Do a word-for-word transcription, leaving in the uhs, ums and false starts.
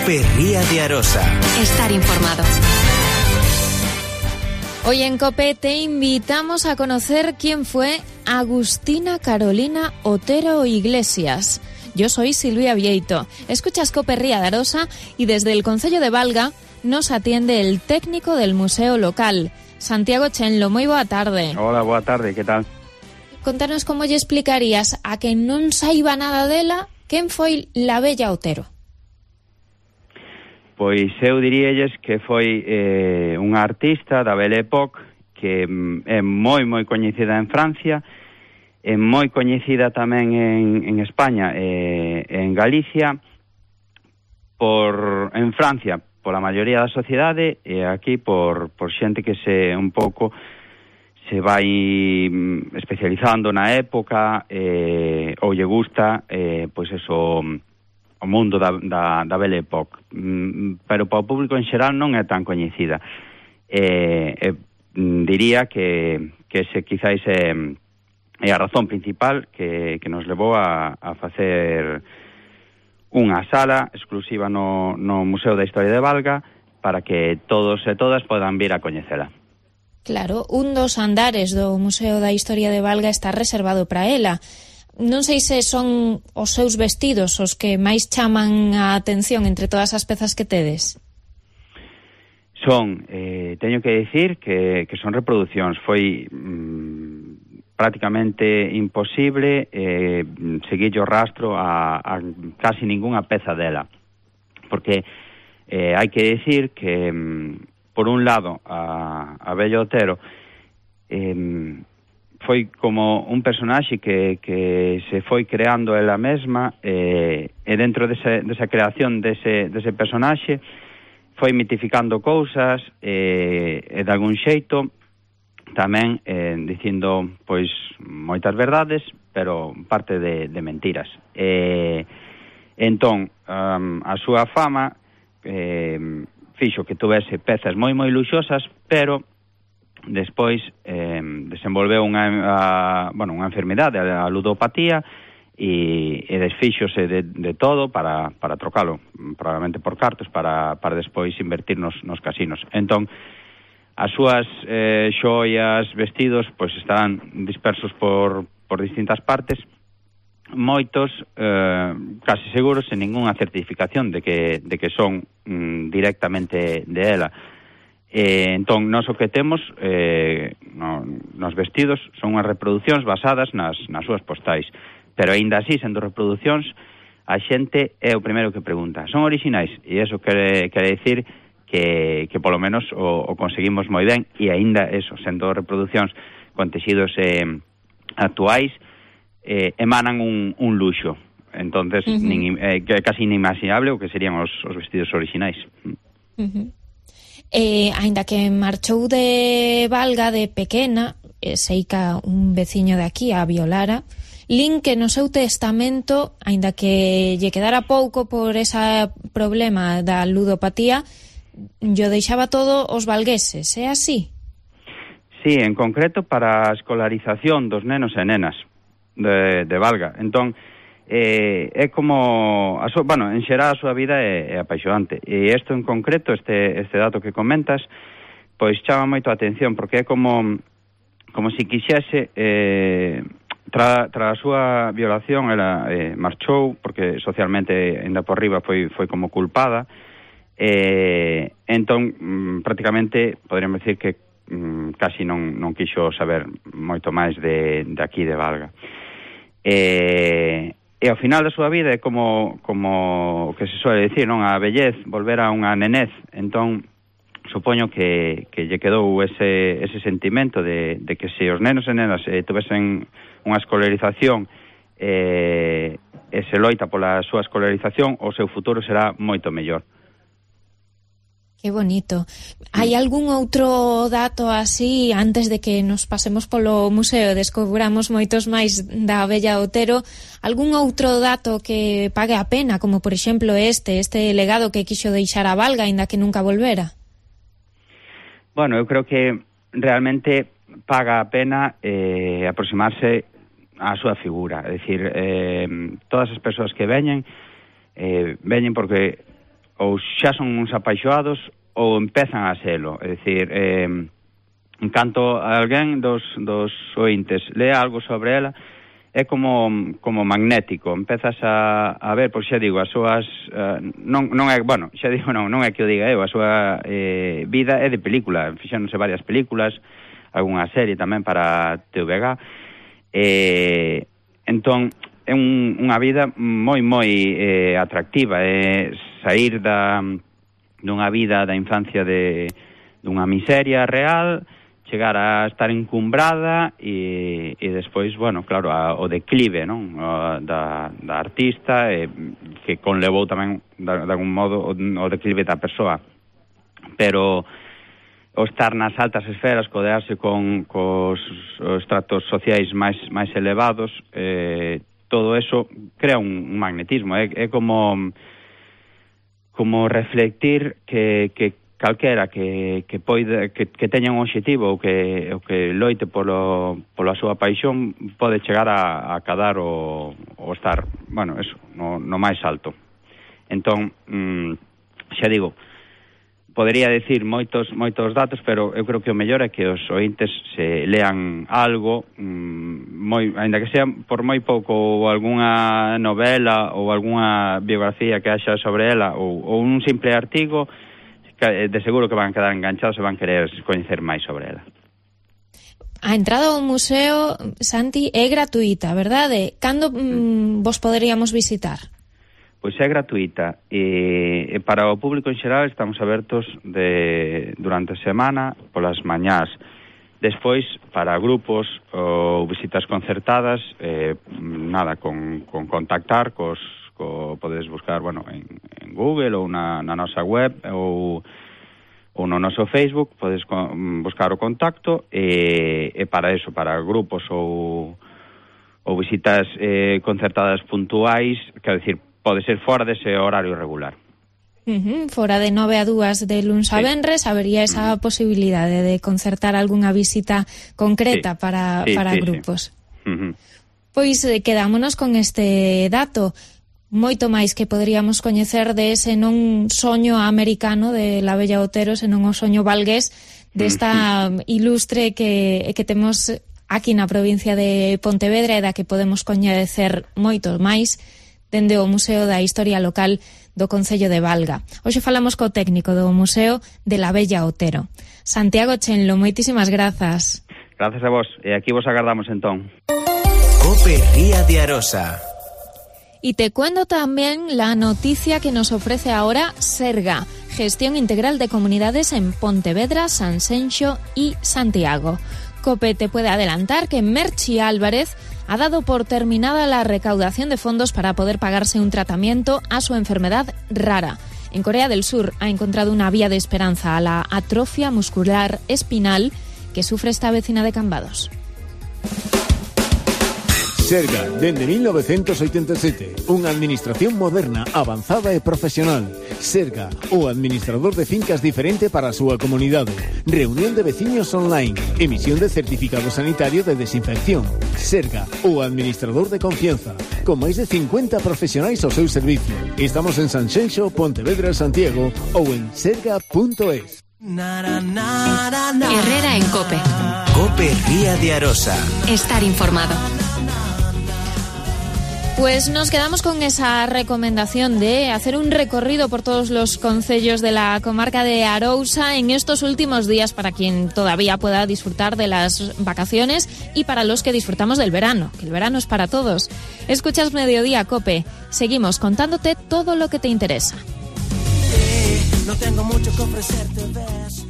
Cope Ría de Arosa. Estar informado. Hoy en Cope te invitamos a conocer quién fue Agustina Carolina Otero Iglesias. Yo soy Silvia Vieito. Escuchas Cope Ría de Arosa y desde el Concello de Valga nos atiende el técnico del museo local, Santiago Chenlo. Moi boa tarde. Hola, boa tarde, que tal? Contanos como lle explicarías a quen non saiba nada dela quen foi la bella Otero. Pois eu diríalles que foi eh, unha artista da Belle Époque que é moi moi coñecida en Francia, é moi coñecida tamén en, en España e eh, en Galicia, por en Francia pola maioría da sociedade e aquí por, por xente que se un pouco se vai especializando na época eh, ou lle gusta eh, pois eso, o mundo da, da, da Belle Époque, mm, pero para o público en xeral non é tan coñecida. Eh, eh, diría que, que ese quizáis é, é a razón principal que, que nos levou a, a facer unha sala exclusiva no, no Museo da Historia de Valga para que todos e todas podan vir a coñecela. Claro, un dos andares do Museo da Historia de Valga está reservado para ela. Non sei se son os seus vestidos os que máis chaman a atención entre todas as pezas que tedes. Son, eh, teño que dicir que, que son reproduccións. Foi mm, prácticamente imposible eh, seguir o rastro a, a casi ningunha peza dela. Porque eh, hai que dicir que, mm, por un lado, a, a Bella Otero eh, foi como un personaxe que, que se foi creando ela mesma eh, e dentro dese, desa creación dese, dese personaxe foi mitificando cousas eh, e de algún xeito tamén eh, dicindo pois moitas verdades, pero parte de, de mentiras. Eh, entón, um, a súa fama eh, fixo que tuvese pezas moi moi luxosas, pero despois eh, desenvolveu unha, a, bueno, unha enfermidade, a ludopatía, e, e desfíxose de, de todo para, para trocalo, probablemente por cartos, para, para despois invertir nos, nos casinos. Entón, as súas eh, xoias, vestidos, pois estarán dispersos por, por distintas partes, moitos, eh, casi seguros, sen ningunha certificación de que, de que son mm, directamente de ela. Eh, entón, nós o que temos eh, no, nos vestidos son unhas reproduccións basadas nas, nas súas postais, pero aínda así, sendo reproducións, a xente é o primeiro que pregunta, son orixinais? E iso quere, quere dicir que, que polo menos o, o conseguimos moi ben, e aínda eso, sendo reproducións con texidos eh, actuais, eh, emanan un, un luxo. Entonces, uh-huh. nin, eh, casi inimaginable o que serían os, os vestidos orixinais. Uh-huh. Eh, aínda que marchou de Valga de pequena, eh, seica un veciño de aquí a violara, lin que no seu testamento, aínda que lle quedara pouco por ese problema da ludopatía, yo deixaba todo os valgueses, é así? Sí, en concreto para a escolarización dos nenos e nenas de, de Valga. Entón, Eh, é como a súa, bueno, en xeral a súa vida é, é apaixonante, e isto en concreto, este, este dato que comentas, pois chama moito a atención, porque é como como se quixese eh, tra, tra a súa violación ela eh, marchou, porque socialmente ainda por riba foi, foi como culpada, eh, entón mm, prácticamente poderíamos decir que mm, casi non, non quixo saber moito máis de, de aquí de Valga. eh E ao final da súa vida é como como que se suele dicir, non? A vellez, volver a unha nenez. Entón, supoño que, que lle quedou ese, ese sentimento de, de que se os nenos e nenas eh, tuvesen unha escolarización eh, e se loita pola súa escolarización, o seu futuro será moito mellor. Que bonito. Hai algún outro dato así, antes de que nos pasemos polo museo e descubramos moitos máis da Bella Otero, algún outro dato que pague a pena, como por exemplo este, este legado que quixo deixar a Valga, aínda que nunca volvera? Bueno, eu creo que realmente paga a pena eh, aproximarse á súa figura. É dicir, eh, todas as persoas que veñen, eh, veñen porque ou xa son uns apaixoados ou empezan a selo. É dicir, eh, en canto alguén dos, dos ointes lea algo sobre ela, é como como magnético, empezas a, a ver, pois xa digo, as súas uh, non, non é, bueno, xa digo, non, non é que o diga eu, a súa eh, vida é de película, fixéronse varias películas, algunha serie tamén para T V G, eh, entón é un, unha vida moi moi eh, atractiva, é sair da dunha vida da infancia de dunha miseria real, chegar a estar encumbrada e, e despois, bueno, claro, a, o declive, non? O, da, da artista, e, que conlevou tamén, de, de algún modo, o, o declive da persoa. Pero o estar nas altas esferas, codearse con cos os tratos sociais máis máis elevados, eh, todo eso crea un, un magnetismo. É, é como como reflectir que, que calquera que, que, poida, que, que teña un obxectivo ou que, ou que loite polo, pola súa paixón pode chegar a, a cadar o, o estar, bueno, eso, no, no máis alto. Entón, mm, xa digo, podería decir moitos moitos datos, pero eu creo que o mellor é que os ointes se lean algo, mm, moi, ainda que sea por moi pouco, ou algunha novela ou algunha biografía que haxa sobre ela, ou, ou un simple artigo, de seguro que van a quedar enganchados e van querer coñecer máis sobre ela. A entrada ao museo, Santi, é gratuita, verdade? Cando mm, vos poderíamos visitar? Pois é gratuita e, e para o público en xeral estamos abertos de, durante a semana polas mañás. Despois, para grupos ou visitas concertadas, eh, nada, con, con contactar cos Co, podes buscar, bueno, en, en Google ou na, na nosa web ou, ou no noso Facebook, podes con, buscar o contacto e, e para eso, para grupos ou, ou visitas eh, concertadas puntuais, quero dicir, pode ser fora dese horario regular. Uh-huh. Fora de nove a dúas de luns a venres, habería esa uh-huh. posibilidade de concertar algunha visita concreta sí. para, sí, para sí, grupos. Sí. Uh-huh. Pois eh, quedámonos con este dato. Moito máis que poderíamos coñecer de ese non soño americano de La Bella Otero, senón o soño valgués desta ilustre que, que temos aquí na provincia de Pontevedra e da que podemos coñecer moito máis dende o Museo da Historia Local do Concello de Valga. Hoxe falamos co técnico do Museo de La Bella Otero. Santiago Chenlo, moitísimas grazas. Grazas a vos, e aquí vos agardamos entón. COPE Ría de Arosa. Y te cuento también la noticia que nos ofrece ahora Serga, Gestión Integral de Comunidades en Pontevedra, Sanxenxo y Santiago. COPE te puede adelantar que Merchi Álvarez ha dado por terminada la recaudación de fondos para poder pagarse un tratamiento a su enfermedad rara. En Corea del Sur ha encontrado una vía de esperanza a la atrofia muscular espinal que sufre esta vecina de Cambados. Serga, dende mil novecientos oitenta e sete, unha administración moderna, avanzada e profesional. Serga, o administrador de fincas diferente para a súa comunidade. Reunión de veciños online, emisión de certificado sanitario de desinfección. Serga, o administrador de confianza, con máis de cincuenta profesionais ao seu servicio. Estamos en Sanxenxo, Pontevedra, Santiago ou en serga punto es. Herrera en COPE. COPE Ría de Arosa. Estar informado. Pues nos quedamos con esa recomendación de hacer un recorrido por todos los concellos de la comarca de Arousa en estos últimos días para quien todavía pueda disfrutar de las vacaciones y para los que disfrutamos del verano, que el verano es para todos. Escuchas Mediodía COPE. Seguimos contándote todo lo que te interesa. No tengo mucho que ofrecerte, ves.